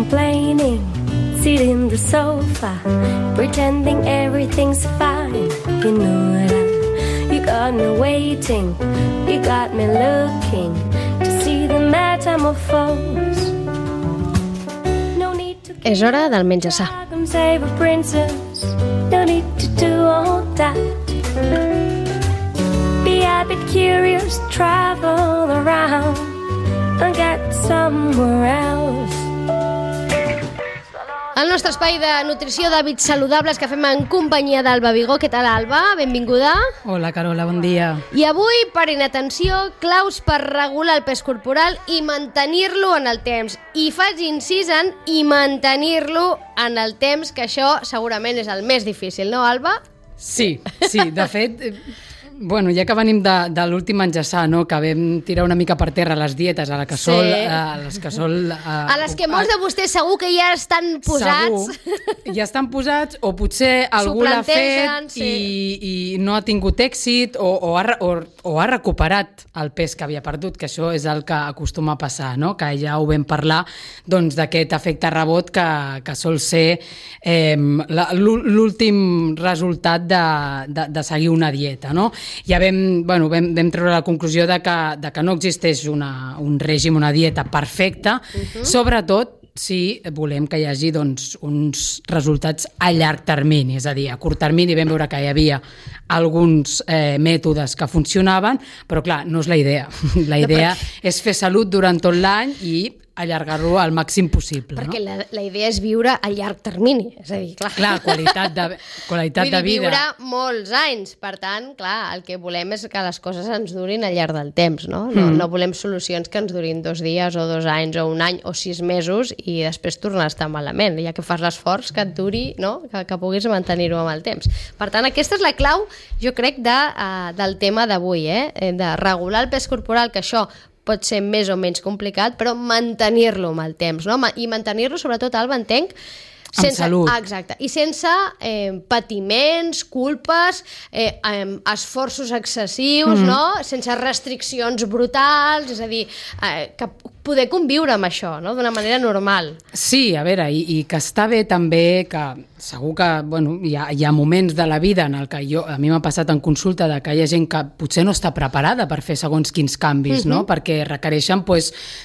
complaining, sit in the sofa, pretending everything's fine. You know that you got me waiting, you got me looking to see the metamorphose. No need to És hora del menjar-sa. save a princess, no need to do all that. Be a bit curious, travel around and get somewhere else. El nostre espai de nutrició d'hàbits saludables que fem en companyia d'Alba Vigó. Què tal, Alba? Benvinguda. Hola, Carola, bon dia. I avui, parin atenció, claus per regular el pes corporal i mantenir-lo en el temps. I faig incís en i mantenir-lo en el temps, que això segurament és el més difícil, no, Alba? Sí, de fet, bueno, ja que venim de l'últim menjar-sa, no? Que vam tirar una mica per terra les dietes a la Casol, Sí. a les Casol... A les que molts de vostès segur que ja estan posats. Segur, ja estan posats, o potser algú l'ha plantegen, fet i no ha tingut èxit o ha recuperat el pes que havia perdut, que això és el que acostuma a passar, no? Que ja ho vam parlar, doncs, d'aquest efecte rebot que sol ser l'últim resultat de seguir una dieta, no? Ja vam treure la conclusió de que no existeix un règim, una dieta perfecta, sobretot si volem que hi hagi doncs, uns resultats a llarg termini, és a dir, a curt termini vam veure que hi havia alguns mètodes que funcionaven, però clar, no és la idea. La idea és fer salut durant tot l'any i allargar-lo al màxim possible. Perquè no? la idea és viure a llarg termini, és a dir, clar qualitat de vida. Viure molts anys, per tant, clar, el que volem és que les coses ens durin al llarg del temps, no? No volem solucions que ens durin 2 dies o 2 anys o 1 any o 6 mesos i després tornar a estar malament, ja que fas l'esforç que et duri, no? Que puguis mantenir-ho amb el temps. Per tant, aquesta és la clau, jo crec, del tema d'avui, de regular el pes corporal, que això pot ser més o menys complicat, però mantenir-lo amb el temps, no? I mantenir-lo, sobretot, Alba, entenc, amb salut. Exacte, i sense patiments, culpes, esforços excessius, no? Sense restriccions brutals, és a dir, que poder conviure amb això, no? D'una manera normal. Sí, a veure, i que està bé també que segur que hi ha moments de la vida en el que a mi m'ha passat en consulta de que hi ha gent que potser no està preparada per fer segons quins canvis, no? Perquè requereixen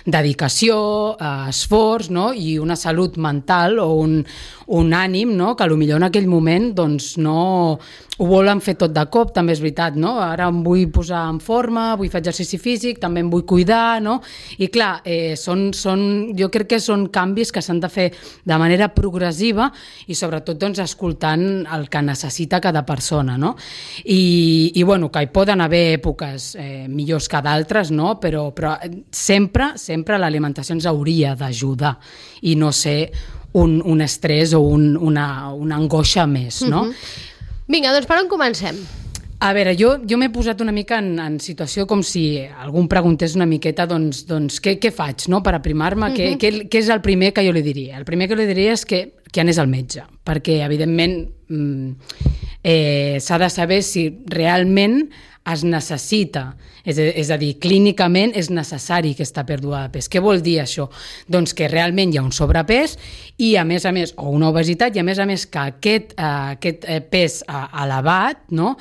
dedicació, esforç, no? I una salut mental o un ànim, no? Que potser en aquell moment doncs, no ho volen fer tot de cop, també és veritat, no? Ara em vull posar en forma, vull fer exercici físic, també em vull cuidar, no? I clar, jo crec que són canvis que s'han de fer de manera progressiva i sobretot doncs, escoltant el que necessita cada persona, no? I bueno, que hi poden haver èpoques millors que d'altres, no? Però sempre l'alimentació ens hauria d'ajudar i no ser un estrès o una angoixa més, no? Vinga, doncs per on comencem? A veure, jo m'he posat una mica en situació com si algú em preguntés una miqueta doncs què faig, no?, per aprimar-me, què és el primer que jo li diria? El primer que li diria és que anés al metge, perquè evidentment s'ha de saber si realment es necessita, és a dir, clínicament és necessari aquesta pèrdua de pes. Què vol dir això? Doncs que realment hi ha un sobrepès i a més, o una obesitat, i a més que aquest pes elevat, no,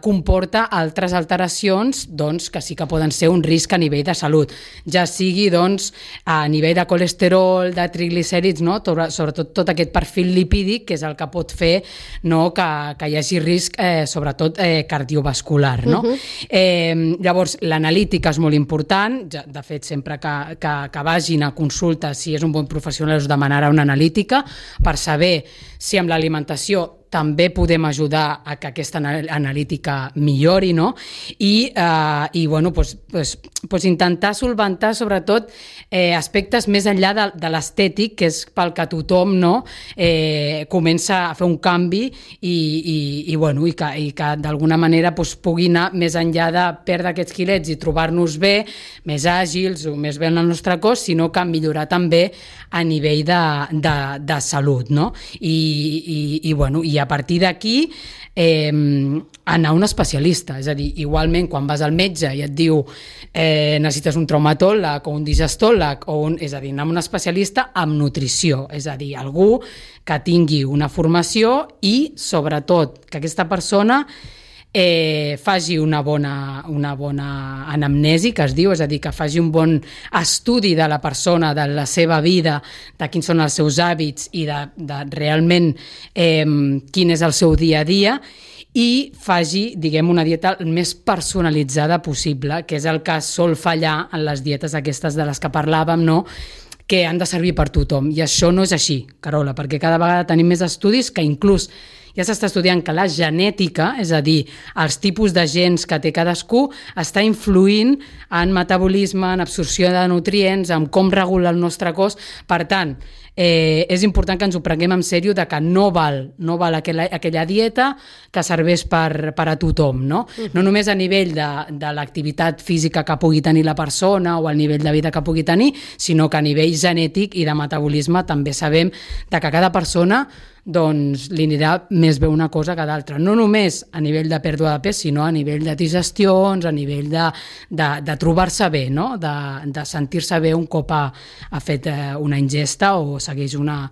comporta altres alteracions doncs, que sí que poden ser un risc a nivell de salut, ja sigui doncs, a nivell de colesterol, de triglicèrids, no, sobretot tot aquest perfil lipídic, que és el que pot fer, no, que hi hagi risc, sobretot cardiovascular. No? Llavors, l'analítica és molt important, de fet, sempre que vagin a consulta, si és un bon professional, us demanarà una analítica per saber si amb l'alimentació també podem ajudar a que aquesta analítica millori, no? I bueno, doncs intentar solventar sobretot aspectes més enllà de l'estètic, que és pel que tothom, no, comença a fer un canvi i que d'alguna manera pugui anar més enllà de perdre aquests quilets i trobar-nos bé, més àgils o més bé en el nostre cos, sinó que millorar també a nivell de salut, no? I a partir d'aquí anar a un especialista. És a dir, igualment quan vas al metge i et diu necessites un traumatòleg o un digestòleg, és a dir, anar a un especialista amb nutrició, és a dir, algú que tingui una formació i, sobretot, que aquesta persona faci una bona anamnesi, que es diu, és a dir, que faci un bon estudi de la persona, de la seva vida, de quins són els seus hàbits i de realment quin és el seu dia a dia, i faci, diguem, una dieta el més personalitzada possible, que és el que sol fallar en les dietes aquestes de les que parlàvem, no?, que han de servir per tothom. I això no és així, Carola, perquè cada vegada tenim més estudis que inclús ja s'està estudiant que la genètica, és a dir, els tipus de gens que té cadascú, està influint en metabolisme, en absorció de nutrients, en com regula el nostre cos. Per tant, és important que ens ho prenguem en sèrio de que no val aquella dieta que serveix per a tothom, no? No només a nivell de l'activitat física que pugui tenir la persona o el nivell de vida que pugui tenir, sinó que a nivell genètic i de metabolisme també sabem de que cada persona doncs li anirà més bé una cosa que d'altra. No només a nivell de pèrdua de pes, sinó a nivell de digestions, a nivell de trobar-se bé, no? De sentir-se bé un cop ha fet una ingesta o segueix una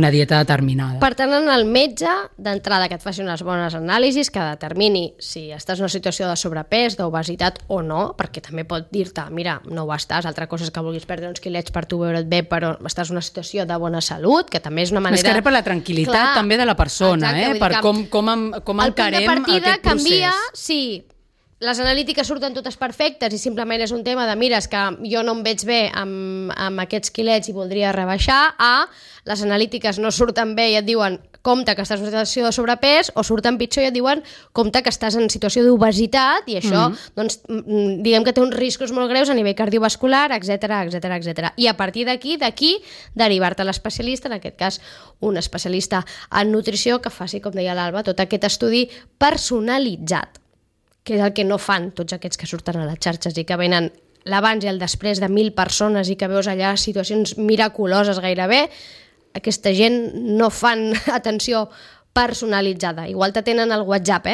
dieta determinada. Per tant, en el metge, d'entrada que et faci unes bones anàlisis, que determini si estàs en una situació de sobrepès, d'obesitat o no, perquè també pot dir-te, mira, no ho estàs, altra cosa és que vulguis perdre uns quilets per tu veure't bé, però estàs en una situació de bona salut, que també és una manera... Més que res per la tranquil·litat també de la persona, per com encarem aquest procés. El punt de partida canvia si les analítiques surten totes perfectes i simplement és un tema de mira, és que jo no em veig bé amb aquests quilets i voldria rebaixar, les analítiques no surten bé i et diuen compte que estàs en situació de sobrepès, o surten pitjor i et diuen compte que estàs en situació d'obesitat i això, doncs, diguem que té uns riscos molt greus a nivell cardiovascular, etc. I a partir d'aquí, derivar-te a l'especialista, en aquest cas un especialista en nutrició que faci, com deia l'Alba, tot aquest estudi personalitzat, que és el que no fan tots aquests que surten a les xarxes i que venen l'abans i el després de 1.000 persones i que veus allà situacions miraculoses gairebé. Aquesta gent no fan atenció personalitzada. Igual te tenen al WhatsApp,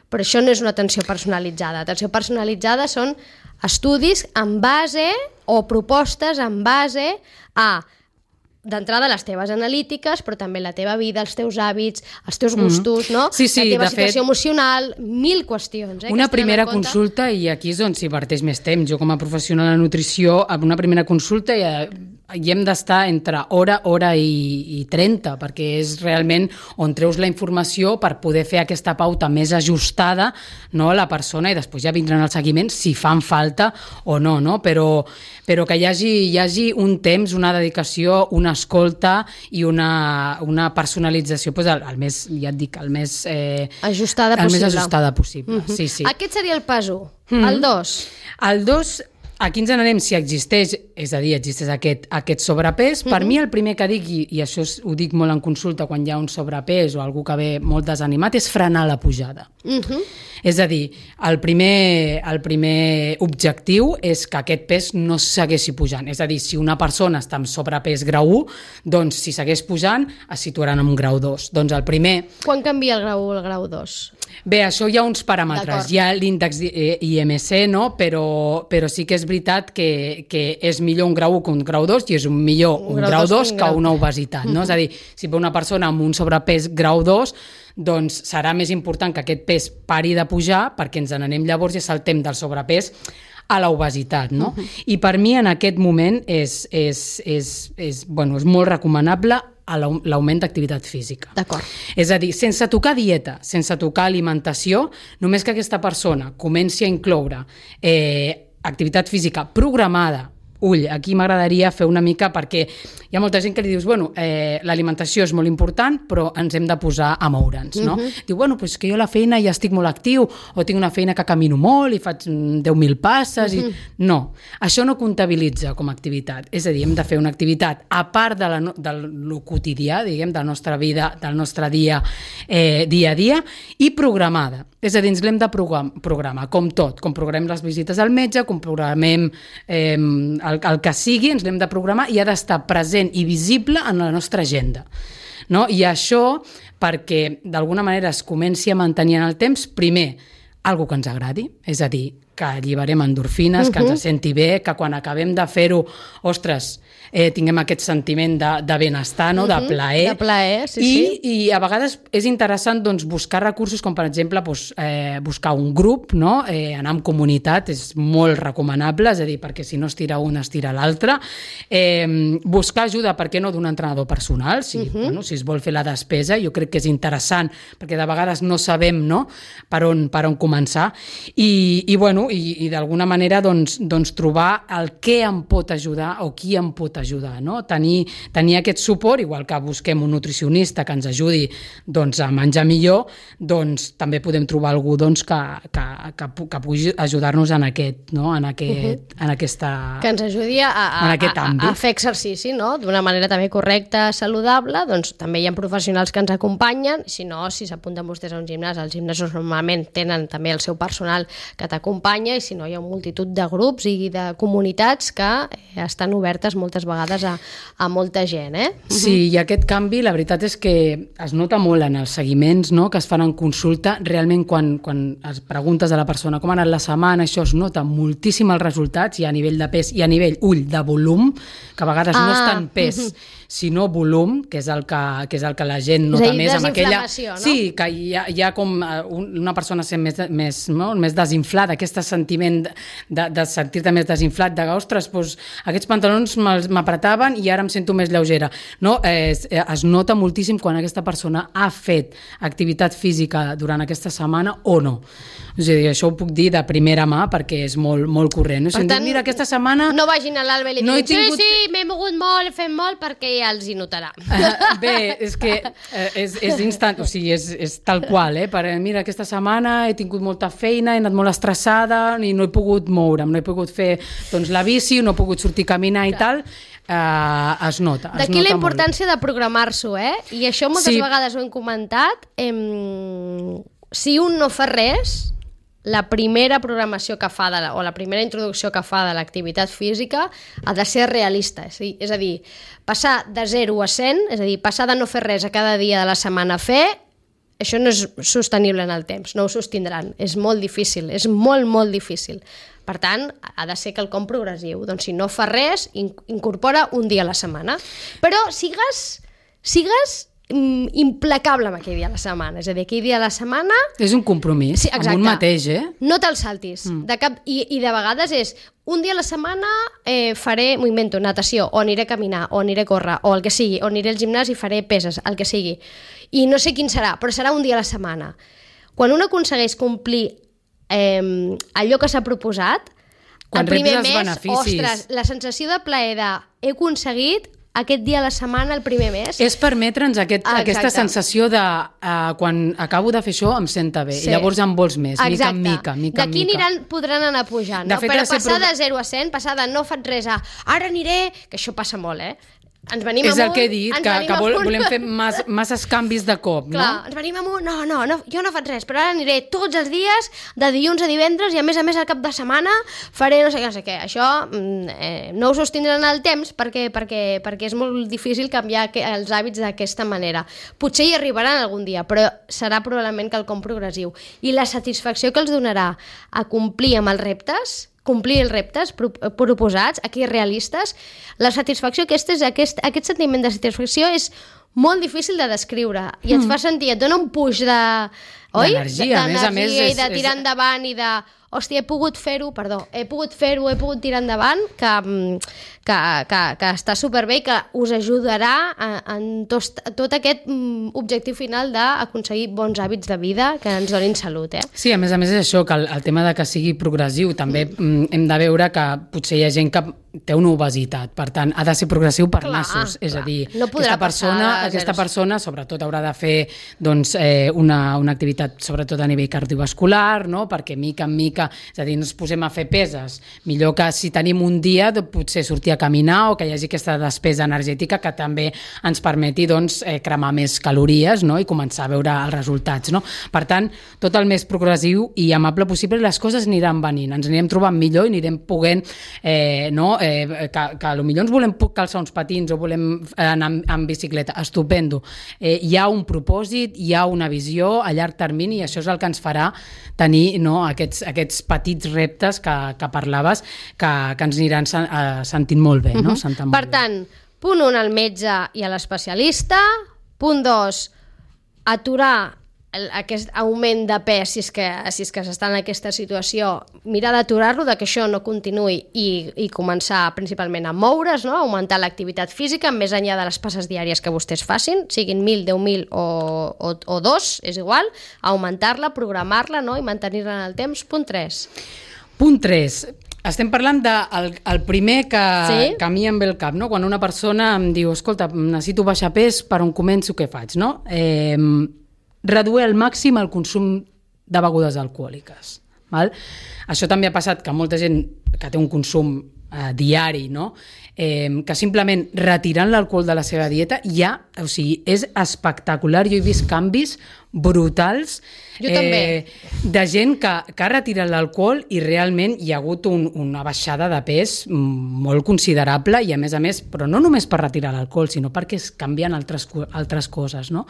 però això no és una atenció personalitzada. Atenció personalitzada són estudis en base o propostes en base a d'entrada les teves analítiques, però també la teva vida, els teus hàbits, els teus gustos, no? Sí, la teva situació emocional, 1.000 qüestions. Una primera consulta, i aquí és on s'hi verteix més temps. Jo com a professional de nutrició, amb una primera consulta hi hem d'estar entre hora i 30, perquè és realment on treus la informació per poder fer aquesta pauta més ajustada, no, a la persona, i després ja vindran els seguiments si fan falta o no, no? Però que hi hagi un temps, una dedicació, una escolta i una personalització, el més, ja et dic, el més ajustada possible. Sí, sí. Aquest seria el pas 1. El 2. El 2, aquí ens n'anem si existeix, és a dir, existeix aquest sobrepès. Per mi el primer que dic, i això ho dic molt en consulta quan hi ha un sobrepès o algú que ve molt desanimat, és frenar la pujada. És a dir, el primer objectiu és que aquest pes no segueixi pujant. És a dir, si una persona està amb sobrepès grau 1, doncs si segueix pujant es situaran en un grau 2. Doncs el primer... Quan canvia el grau 1 al grau 2? Bé, això hi ha uns paràmetres. Hi ha l'índex IMC, no? Però sí que és veritat que és millor un grau 1 que un grau 2 i és millor un grau 2 que una obesitat, no? És a dir, si ve una persona amb un sobrepès grau 2, doncs serà més important que aquest pes pari de pujar perquè ens n'anem llavors i saltem del sobrepès a l'obesitat, no? I per mi en aquest moment és molt recomanable l'augment d'activitat física. D'acord. És a dir, sense tocar dieta, sense tocar alimentació, només que aquesta persona comenci a incloure activitat física programada. Ull, aquí m'agradaria fer una mica, perquè hi ha molta gent que li dius, l'alimentació és molt important, però ens hem de posar a moure'ns, no? Diu, és que jo a la feina ja estic molt actiu, o tinc una feina que camino molt i faig 10.000 passes, i... No, això no comptabilitza com a activitat. És a dir, hem de fer una activitat a part del quotidià, diguem, de la nostra vida, del nostre dia a dia, i programada. És a dir, ens l'hem de programar, com tot, com programem les visites al metge, com programem el que sigui ens l'hem de programar i ha d'estar present i visible en la nostra agenda. No? I això, perquè d'alguna manera es comenci a mantenir en el temps, primer, algo que ens agradi, és a dir, que alliberem endorfines, que ens senti bé, que quan acabem de fer-ho, ostres, tinguem aquest sentiment de benestar, no? De plaer. De plaer, sí. I a vegades és interessant doncs, buscar recursos com, per exemple, buscar un grup, no? Anar en comunitat, és molt recomanable, és a dir, perquè si no es tira un, es tira l'altre. Buscar ajuda, per què no, d'un entrenador personal, si es vol fer la despesa, jo crec que és interessant, perquè de vegades no sabem, no? per on començar. I d'alguna manera doncs, trobar el què em pot ajudar o qui em pot ajudar, no? Tenir aquest suport, igual que busquem un nutricionista que ens ajudi doncs, a menjar millor, doncs també podem trobar algú doncs, que pugui ajudar-nos en aquest, no? en aquesta... Que ens ajudi a fer exercici, no? D'una manera també correcta, saludable, doncs també hi ha professionals que ens acompanyen, si no, si s'apunten vostès a un gimnàs, els gimnasos normalment tenen també el seu personal que t'acompanya, i si no hi ha multitud de grups i de comunitats que estan obertes moltes vegades a molta gent. Sí, i aquest canvi la veritat és que es nota molt en els seguiments, no? Que es fan en consulta. Realment quan es preguntes a la persona com ha anat la setmana, això es nota moltíssim els resultats, i a nivell de pes i a nivell de volum, que a vegades no és tant pes sinó volum, que és el que la gent nota més amb aquella... No? Sí, que hi ha com una persona sent més desinflada, aquest sentiment de sentir-te més desinflat, de ostres, doncs, aquests pantalons m'apretaven i ara em sento més lleugera. No? Es nota moltíssim quan aquesta persona ha fet activitat física durant aquesta setmana o no. És a dir, això ho puc dir de primera mà perquè és molt, molt corrent. Per tant, mira, aquesta setmana... No vagin a l'Alba i li diguin, sí, m'he mogut molt, he fet molt, perquè ja els hi notarà. Bé, és que és instant, o sigui, és tal qual, mira, aquesta setmana he tingut molta feina, he anat molt estressada i no he pogut moure'm, no he pogut fer doncs, la bici, no he pogut sortir a caminar i tal, es nota. D'aquí la importància de programar-s'ho, I això moltes vegades ho hem comentat. Si un no fa res, la primera programació que fa o la primera introducció que fa de l'activitat física ha de ser realista, és a dir, passar de 0 a 100, és a dir, passar de no fer res a cada dia de la setmana a fer, això no és sostenible en el temps, no ho sostindran, és molt difícil, és molt, molt difícil. Per tant, ha de ser quelcom progressiu. Doncs si no fa res, incorpora un dia a la setmana. Però sigues implacable amb aquell dia a la setmana. És a dir, aquell dia a la setmana... És un compromís, sí, amb un mateix, No te'l saltis. I de vegades és un dia a la setmana faré, m'ho invento, natació, o aniré a caminar, o aniré a córrer, o el que sigui, o aniré al gimnàs i faré peses, el que sigui. I no sé quin serà, però serà un dia a la setmana. Quan un aconsegueix complir allò que s'ha proposat, el primer mes, ostres, la sensació de plaer de he aconseguit aquest dia a la setmana, el primer mes. És permetre'ns aquesta sensació de quan acabo de fer això em senta bé, i llavors en vols més, mica en mica. D'aquí podran anar pujant, no? Però passar de 0 a 100, passar de no faig res a ara aniré, que això passa molt, ens venim amunt... És el que he dit, que volem fer masses canvis de cop, no? Clar, ens venim amunt, no, jo no faig res, però ara aniré tots els dies, de dilluns a divendres, i a més al cap de setmana faré no sé què. Això no ho sostindran el temps perquè és molt difícil canviar els hàbits d'aquesta manera. Potser hi arribaran algun dia, però serà probablement quelcom progressiu. I la satisfacció que els donarà a complir amb els reptes proposats, aquí realistes, la satisfacció aquest sentiment de satisfacció és molt difícil de descriure i et fa sentir, et dona un puix d'energia, a més i de tirar endavant i de, hòstia, he pogut fer-ho, he pogut tirar endavant, que està superbé i que us ajudarà en tot aquest objectiu final d'aconseguir bons hàbits de vida que ens donin salut. Sí, a més és això, que el tema de que sigui progressiu, també hem de veure que potser hi ha gent que té una obesitat, per tant, ha de ser progressiu per nassos, és a dir, no aquesta persona sobretot haurà de fer una activitat sobretot a nivell cardiovascular, no? Perquè mica en mica és a dir, no ens posem a fer peses. Millor que si tenim un dia potser sortir a caminar o que hi hagi aquesta despesa energètica que també ens permeti doncs, cremar més calories, no? I començar a veure els resultats. No? Per tant, tot el més progressiu i amable possible, les coses aniran venint, ens anirem trobant millor i anirem podent, que potser ens volem calçar uns patins o volem anar en bicicleta, estupendo. Hi ha un propòsit, hi ha una visió a llarg termini i això és el que ens farà tenir, no, aquests petits reptes que parlaves que ens aniran sentint molt bé. No? Per tant, punt 1, al metge i a l'especialista. Punt 2, aturar aquest augment de pes si és que s'està en aquesta situació, mirar d'aturar-lo, que això no continuï i començar principalment a moure's, no? Augmentar l'activitat física més enllà de les passes diàries que vostès facin, siguin 1.000, 10.000 o 2, és igual, augmentar-la, programar-la, no? I mantenir-la en el temps. Punt 3. Punt 3. Estem parlant del primer que a mi em ve al cap, no? Quan una persona em diu, escolta, necessito baixar pes, per on començo, què faig? No? Reduir al màxim el consum de begudes alcohòliques. Val? Això també ha passat que molta gent que té un consum diari, no? Que simplement retirant l'alcohol de la seva dieta és espectacular. Jo he vist canvis brutals de gent que ha retirat l'alcohol i realment hi ha hagut una baixada de pes molt considerable i a més, però no només per retirar l'alcohol, sinó perquè es canvien altres coses, no?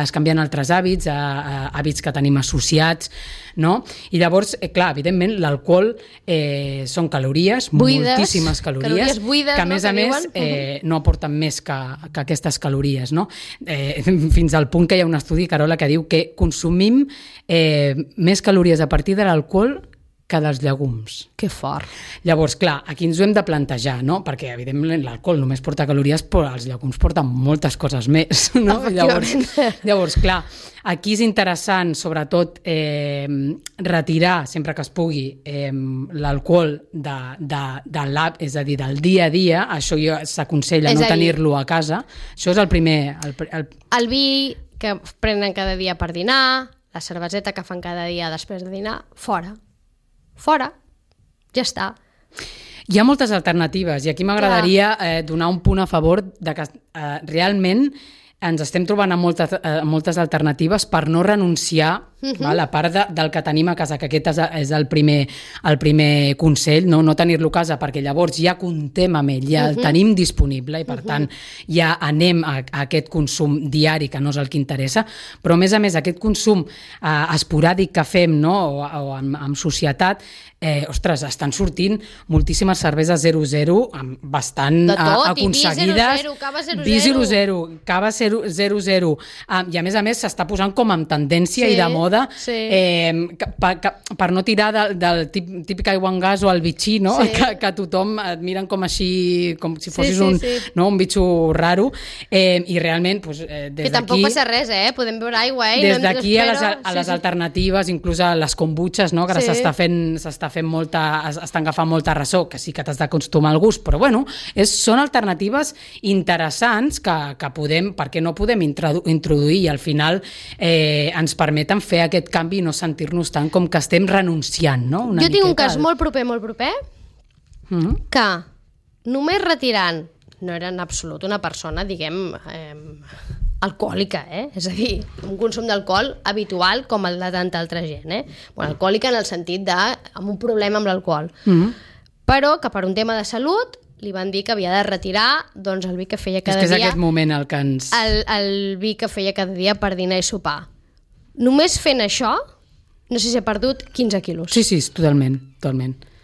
Es canvien altres hàbits, hàbits que tenim associats, no? I llavors, clar, evidentment, l'alcohol són calories, moltíssimes calories buides, que a més no aporten més que aquestes calories, no? Fins al punt que hi ha un estudi, Carola, que diu que consumim més calories a partir de l'alcohol que dels llegums. Que fort. Llavors, clar, aquí ens ho hem de plantejar, no? Perquè, evidentment, l'alcohol només porta calories, però els llegums porten moltes coses més, no? Llavors, clar, aquí és interessant, sobretot, retirar, sempre que es pugui, l'alcohol és a dir, del dia a dia. Això s'aconsella no tenir-lo a casa. Això és el primer... El vi que prenen cada dia per dinar, la cerveseta que fan cada dia després de dinar, fora, ja està. Hi ha moltes alternatives i aquí m'agradaria donar un punt a favor de que realment ens estem trobant amb moltes alternatives per no renunciar a part del que tenim a casa, que aquest és el primer consell, no tenir-lo a casa, perquè llavors ja comptem amb ell, ja el tenim disponible i per tant ja anem a aquest consum diari que no és el que interessa, però a més aquest consum esporàdic que fem o en societat, ostres, estan sortint moltíssimes cerveses 0,0 bastant aconseguides. Vi 0,0, cava 0,0, i a més s'està posant com en tendència i de moda per no tirar del típic aigua en gas o el bitxí, no? Que tothom et miren com així, com si fossis un bitxo raro, i realment des d'aquí... Que tampoc passa res, podem beure aigua, des d'aquí a les alternatives, inclús a les kombuchas, que estan agafant molta ressò, que sí que t'has d'acostumar al gust, però bueno, són alternatives interessants que podem, perquè no podem introduir i al final ens permeten fer aquest canvi i no sentir-nos tant com que estem renunciant, no? Jo tinc un cas molt proper, que només retirant, no era en absolut una persona, diguem, alcohòlica, és a dir, un consum d'alcohol habitual com el de tanta altra gent, Bueno, alcohòlica en el sentit amb un problema amb l'alcohol, però que per un tema de salut li van dir que havia de retirar doncs, el vi que feia cada dia. És que és aquest moment el que ens... El vi que feia cada dia per dinar i sopar. Només fent això, no sé si ha perdut 15 quilos. Sí, totalment.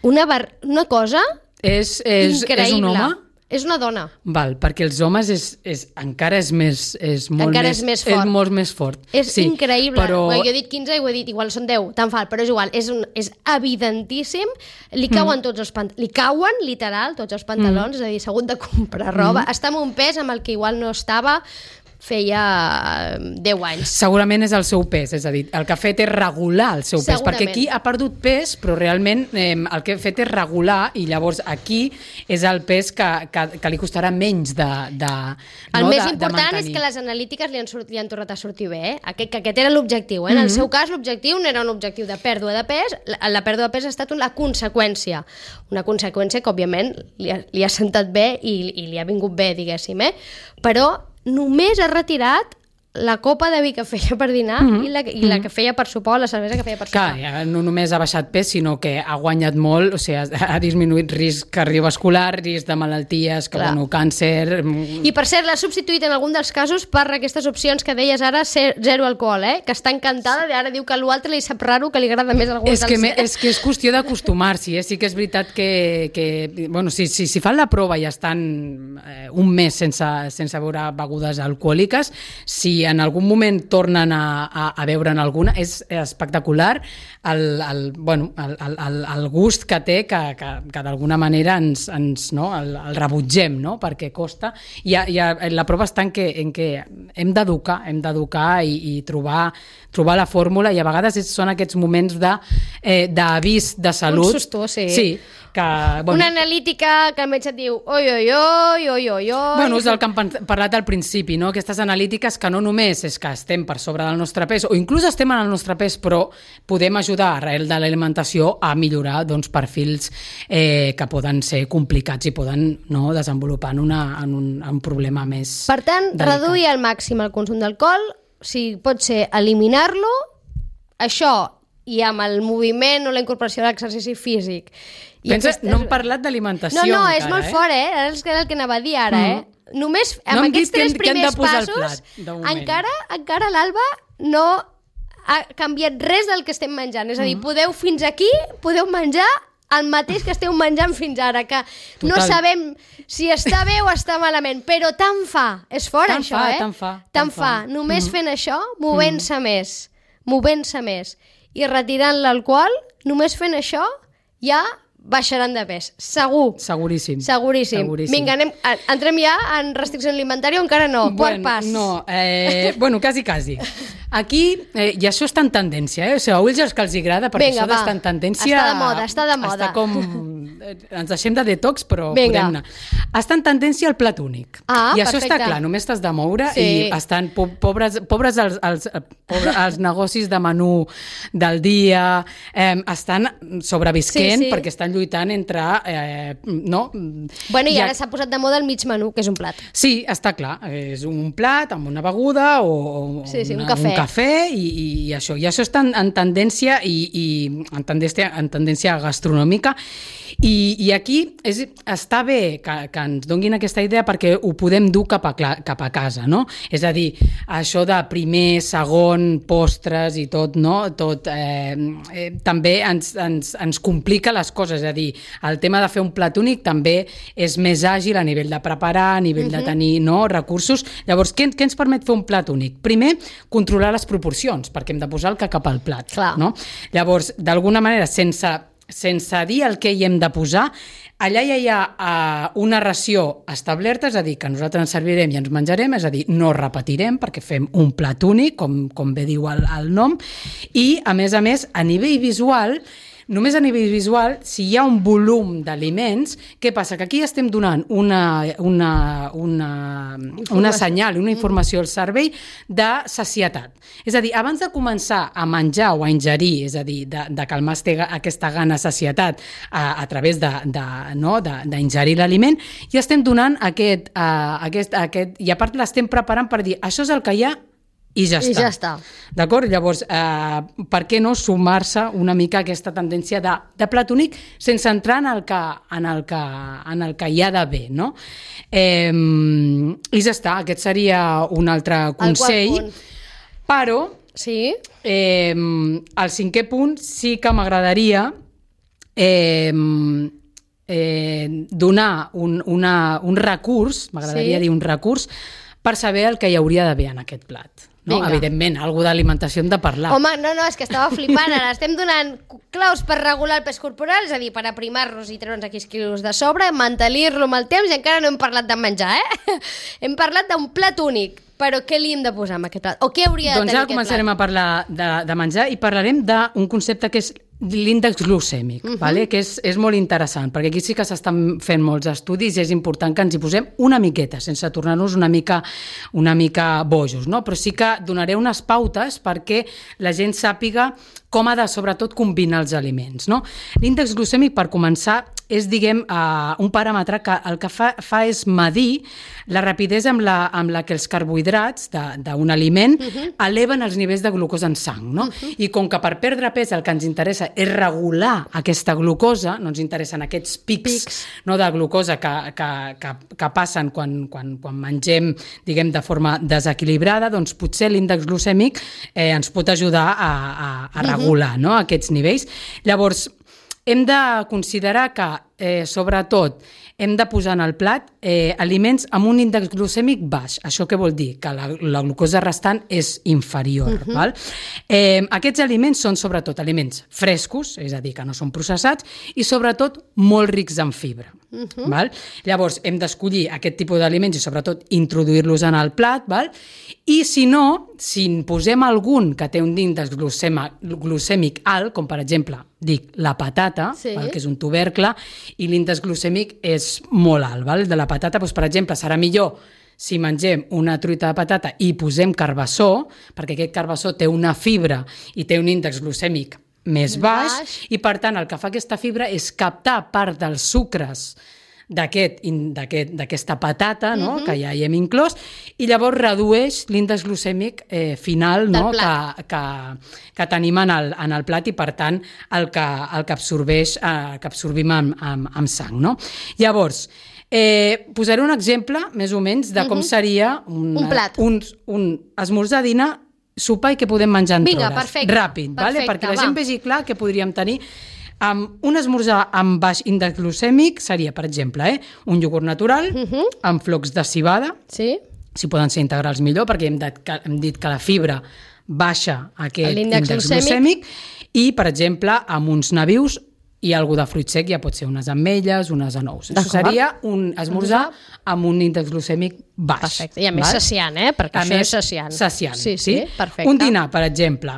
Una cosa increïble. És un home? És una dona. Val, perquè els homes encara és molt més fort. És increïble. Però... Jo he dit 15 i ho he dit, igual són 10, tan fal, però és igual, és evidentíssim. Li cauen tots els pantalons, li cauen literal tots els pantalons, és a dir, s'ha hagut de comprar roba. Està en un pes amb el que igual no estava feia 10 anys. Segurament és el seu pes, és a dir, el que ha fet és regular el seu pes, Segurament. perquè aquí ha perdut pes, però realment el que ha fet és regular, i llavors aquí és el pes que li costarà menys de El més important és que les analítiques li han tornat a sortir bé, que aquest era l'objectiu. En el seu cas, l'objectiu no era un objectiu de pèrdua de pes, la pèrdua de pes ha estat una conseqüència que, òbviament, li ha sentat bé i li ha vingut bé, diguéssim, però només ha retirat la copa de vi que feia per dinar i la que feia per sopar, la cervesa que feia per sopar. Clar, no només ha baixat pes, sinó que ha guanyat molt, o sigui, ha disminuït risc cardiovascular, risc de malalties, càncer... I per cert, l'ha substituït en algun dels casos per aquestes opcions que deies ara, zero alcohol, que està encantada, i ara diu que l'altre li sap raro, que li agrada més algun dels... És que és qüestió d'acostumar-s'hi, sí que és veritat que bueno, si fan la prova i estan un mes sense beure begudes alcohòliques, si en algun moment tornen a beure'n alguna, és espectacular el gust que té, que d'alguna manera el rebutgem, no? Perquè costa. I la prova està en que hem d'educar i trobar la fórmula, i a vegades són aquests moments d'avís de salut. Un susto, sí. Sí. Una analítica que el metge et diu oi. Bueno, és el que hem parlat al principi, no? Aquestes analítiques que no només és que estem per sobre del nostre pes, o inclús estem en el nostre pes, però podem ajudar arrel de l'alimentació a millorar perfils que poden ser complicats i poden desenvolupar en un problema més Per tant, delicat. reduir al màxim el consum d'alcohol, si pot ser eliminar-lo, això, i amb el moviment o la incorporació de l'exercici físic. No hem parlat d'alimentació encara, és molt fort, és el que anava a dir ara, Només amb aquests 3 primers passos, encara l'Alba no ha canviat res del que estem menjant. És a dir, fins aquí podeu menjar el mateix que esteu menjant fins ara, que no sabem si està bé o està malament, però tant fa. És fort, això, Tant fa. Només fent això, movent-se més i retirant l'alcohol, només fent això, ja baixaran de pes. Segur. Seguríssim. Vinga, entrem ja en restricció alimentària o encara no? Quart pas. No, quasi. Aquí, i això està en tendència, o sigui, a ulls els que els agrada, perquè això d'estar en tendència... Està de moda. Està com... Ens deixem de detox, però podem anar. Està en tendència el plat únic. I això està clar, només t'has de moure i estan pobres els negocis de menú del dia, estan sobrevisquent perquè estan lluitant entre... I ara s'ha posat de moda el mig menú, que és un plat. Sí, està clar. És un plat amb una beguda o un cafè i això. I això està en tendència en tendència gastronòmica. I aquí està bé que ens donguin aquesta idea perquè ho podem dur cap a casa, no? És a dir, això de primer, segon, postres i tot, no? Tot també ens complica les coses, és a dir, el tema de fer un plat únic també és més àgil a nivell de preparar, a nivell de tenir recursos. Llavors, què ens permet fer un plat únic? Primer, controlar les proporcions, perquè hem de posar el que cap al plat, no? Llavors, d'alguna manera, sense dir el que hi hem de posar, allà ja hi ha una ració establerta, és a dir, que nosaltres ens servirem i ens menjarem, és a dir, no repetirem perquè fem un plat únic, com bé diu el nom, i a més, a nivell visual, només a nivell visual, si hi ha un volum d'aliments, què passa? Que aquí estem donant una senyal, una informació al cervell de sacietat. És a dir, abans de començar a menjar o a ingerir, és a dir, de calmar aquesta gana sacietat a través d'ingerir l'aliment, ja estem donant aquest... I a part l'estem preparant per dir, això és el que hi ha i ja està. D'acord? Llavors, per què no sumar-se una mica a aquesta tendència de plat únic sense entrar en el que hi ha d'haver, no? I ja està, aquest seria un altre consell. Però, el 5è punt sí que m'agradaria donar un recurs, m'agradaria dir un recurs, per saber el que hi hauria d'haver en aquest plat. No? Evidentment, algú d'alimentació hem de parlar. Home, no, és que estava flipant. Ara estem donant claus per regular el pes corporal, és a dir, per aprimar-nos i treure'ns aquells quilos de sobre, mantenir-lo amb el temps, i encara no hem parlat de menjar, Hem parlat d'un plat únic. Però què li hem de posar amb aquest plat? O què hauria de Doncs tenir ara començarem a parlar de menjar i parlarem d'un concepte que és l'índex glucèmic, vale? Que és molt interessant, perquè aquí sí que s'estan fent molts estudis i és important que ens hi posem una miqueta, sense tornar-nos una mica bojos, no? Però sí que donaré unes pautes perquè la gent sàpiga com ha de, sobretot, combinar els aliments, no? L'índex glucèmic, per començar, és, diguem, un paràmetre que el que fa és medir la rapidesa amb la que els carbohidrats d'un aliment eleven els nivells de glucosa en sang, no? I com que per perdre pes el que ens interessa és regular aquesta glucosa, no ens interessen aquests pics no, de glucosa que passen quan mengem, diguem, de forma desequilibrada, doncs potser l'índex glucèmic ens pot ajudar a regular no, aquests nivells. Llavors, hem de considerar que, sobretot, hem de posar en el plat aliments amb un índex glucèmic baix. Això què vol dir? Que la glucosa restant és inferior. Val? Aquests aliments són sobretot aliments frescos, és a dir, que no són processats, i sobretot molt rics en fibra. Val? Llavors, hem d'escollir aquest tipus d'aliments i sobretot introduir-los en el plat, val? I si no, si en posem algun que té un índex glucèmic alt, com per exemple, la patata, val? Que és un tubercle, i l'índex glucèmic és molt alt. Val? De la patata, doncs, per exemple, serà millor si mengem una truita de patata i posem carbassó, perquè aquest carbassó té una fibra i té un índex glucèmic més baix, i per tant el que fa aquesta fibra és captar part dels sucres d'aquesta patata, no? Que ja hi hem inclòs, i llavors redueix l'índex glucèmic final, no? que tenim en el plat i, per tant, el que absorbim amb sang. No? Llavors, posaré un exemple, més o menys, de com seria un plat. Un esmorzar, dinar, sopar i què podem menjar en hores. Perfecte. Ràpid, perquè la gent vegi clar què podríem tenir. Un esmorzar amb baix índex glucèmic seria, per exemple, un iogurt natural amb flocs de civada, si poden ser integrals millor, perquè hem dit que la fibra baixa aquest índex glucèmic, i, per exemple, amb uns nabius i algú de fruit sec, ja pot ser unes ametlles, unes anous. Això seria un esmorzar amb un índex glucèmic baix. Perfecte, i a més saciant, perquè això és saciant. Saciant, sí, perfecte. Un dinar, per exemple,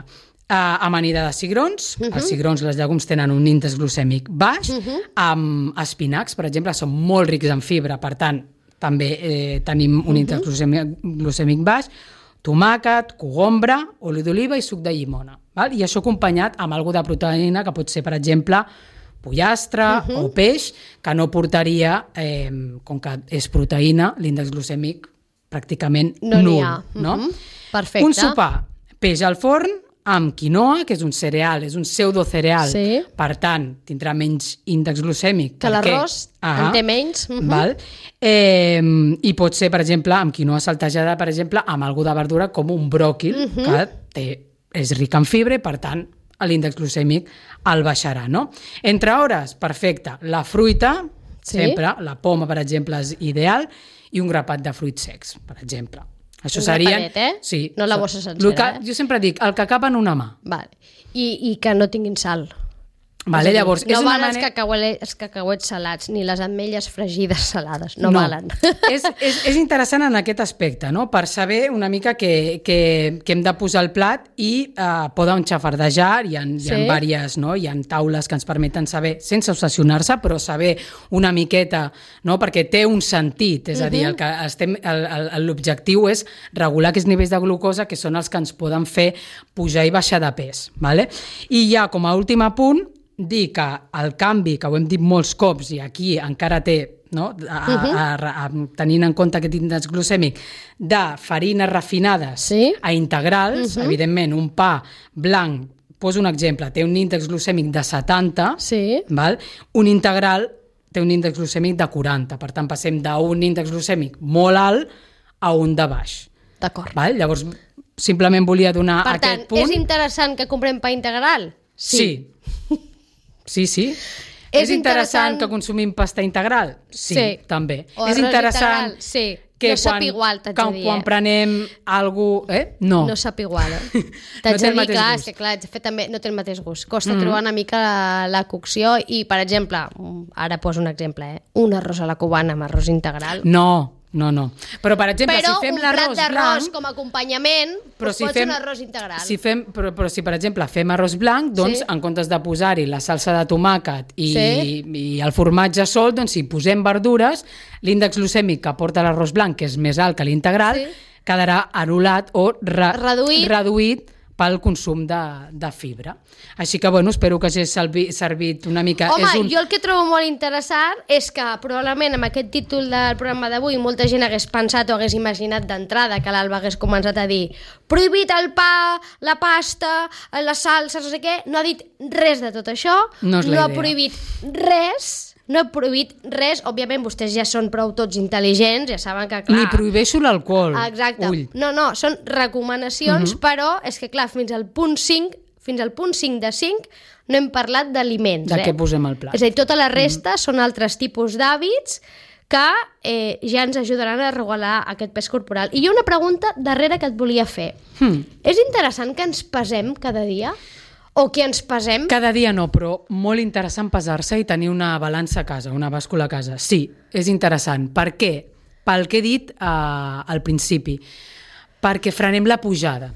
amanida de cigrons. Els cigrons, les llegums, tenen un índex glucèmic baix. Amb espinacs, per exemple, són molt rics en fibra, per tant, també tenim un índex glucèmic baix. Tomàquet, cogombre, oli d'oliva i suc de llimona. Val? I això acompanyat amb alguna de proteïna, que pot ser, per exemple, pollastre o peix, que no portaria, com que és proteïna, l'índex glucèmic pràcticament nul. No? Perfecte. Un sopar, peix al forn, amb quinoa, que és un cereal, és un pseudocereal, per tant, tindrà menys índex glucèmic. Que l'arròs en té menys. Val? I pot ser, per exemple, amb quinoa saltejada, per exemple, amb alguna de verdura com un bròquil, que és ric en fibra i, per tant, l'índex glucèmic el baixarà. No? Entre hores, perfecte. La fruita, sempre, la poma, per exemple, és ideal, i un grapat de fruits secs, per exemple. Això seria... Sí. No la bossa sencera, Jo sempre dic, el que cap en una mà. Vale. I que no tinguin sal. Vale, llavors, no valen els cacauets salats, ni les ametlles fregides salades, no valen. És interessant en aquest aspecte, no? Per saber una mica que hem de posar el plat i poden xafardejar, hi ha diverses, no? Hi ha taules que ens permeten saber, sense obsessionar-se, però saber una miqueta, no? Perquè té un sentit, és a dir, l'objectiu és regular aquests nivells de glucosa que són els que ens poden fer pujar i baixar de pes. Vale? I ja, com a últim apunt, dir que el canvi, que ho hem dit molts cops i aquí encara té, no? Tenint en compte aquest índex glucèmic, de farines refinades a integrals, evidentment un pa blanc, poso un exemple, té un índex glucèmic de 70, val? Un integral té un índex glucèmic de 40, per tant passem d'un índex glucèmic molt alt a un de baix. D'acord. Llavors, simplement volia donar aquest punt. Per tant, és interessant que comprem pa integral? Sí. Sí. És interessant que consumim pasta integral? Sí, també. És interessant que no sap igual, t'haig de dir. Quan prenem alguna cosa... No. No sap igual, T'haig de dir, clar, és que clar, també no té el mateix gust. Costa trobar una mica la cocció i, per exemple, ara poso un exemple, un arròs a la cubana amb arròs integral. No, No. Però, per exemple, Però si fem un plat l'arròs d'arròs blanc... com a acompanyament pot ser un arròs integral. Però si, per exemple, fem arròs blanc, doncs, en comptes de posar-hi la salsa de tomàquet i el formatge sol, doncs, si posem verdures, l'índex glucèmic que porta l'arròs blanc, que és més alt que l'integral, quedarà anul·lat o reduït pel consum de fibra. Així que, bueno, espero que hagi servit una mica... Home, jo el que trobo molt interessant és que probablement amb aquest títol del programa d'avui molta gent hagués pensat o hagués imaginat d'entrada que l'Alba hagués començat a dir prohibit el pa, la pasta, les salses, no sé què. No ha dit res de tot això, no ha prohibit res... No he prohibit res, òbviament vostès ja són prou tots intel·ligents, ja saben que clar... Ni prohibeixo l'alcohol. Exacte. Ull. No, són recomanacions, però és que clar, fins al punt 5 de 5 no hem parlat d'aliments. De què posem al plat. És a dir, tota la resta són altres tipus d'hàbits que ja ens ajudaran a regular aquest pes corporal. I hi ha una pregunta darrere que et volia fer. És interessant que ens pesem cada dia? O que ens pesem? Cada dia no, però molt interessant pesar-se i tenir una balança a casa, una bàscula a casa. Sí, és interessant. Per què? Pel que he dit al principi. Perquè frenem la pujada.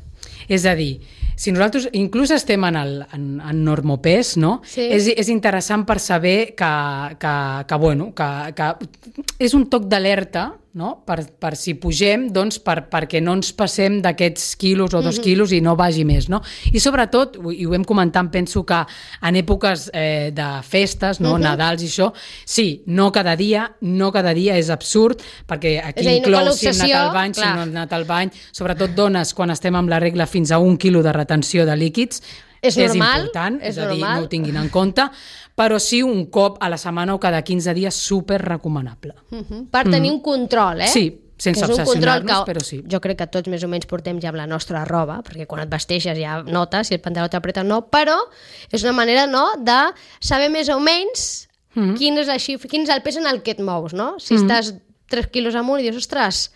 És a dir, si nosaltres inclús estem en normopès, no? Sí. És interessant per saber que és un toc d'alerta, no? Per si pugem, doncs perquè no ens passem d'aquests quilos o 2 quilos i no vagi més, no? I sobretot, i ho hem comentat, penso que en èpoques de festes, no? Nadals i això, sí, no cada dia és absurd, perquè aquí inclou si hem anat al bany, si no hem anat al bany, sobretot dones, quan estem amb la regla fins a 1 quilo de retenció de líquids, és important, és a dir, no ho tinguin en compte, però sí un cop a la setmana o cada 15 dies super recomanable. Per tenir un control, Sí, sense obsessionar-nos, però sí. Jo crec que tots més o menys portem ja amb la nostra roba, perquè quan et vesteixes ja notes si el pantaló t'apreta o no, però és una manera de saber més o menys quin és el pes en el que et mous, no? Si estàs 3 quilos amunt i dius, ostres,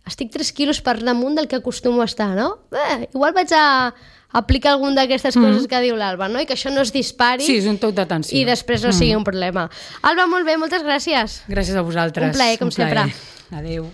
estic 3 quilos per damunt del que acostumo a estar, no? Igual vaig a aplicar alguna d'aquestes coses que diu l'Alba, no? I que això no es dispari. Sí, és un toc d'atenció. I després no sigui un problema. Alba, molt bé, moltes gràcies. Gràcies a vosaltres. Un plaer, com sempre. Adéu.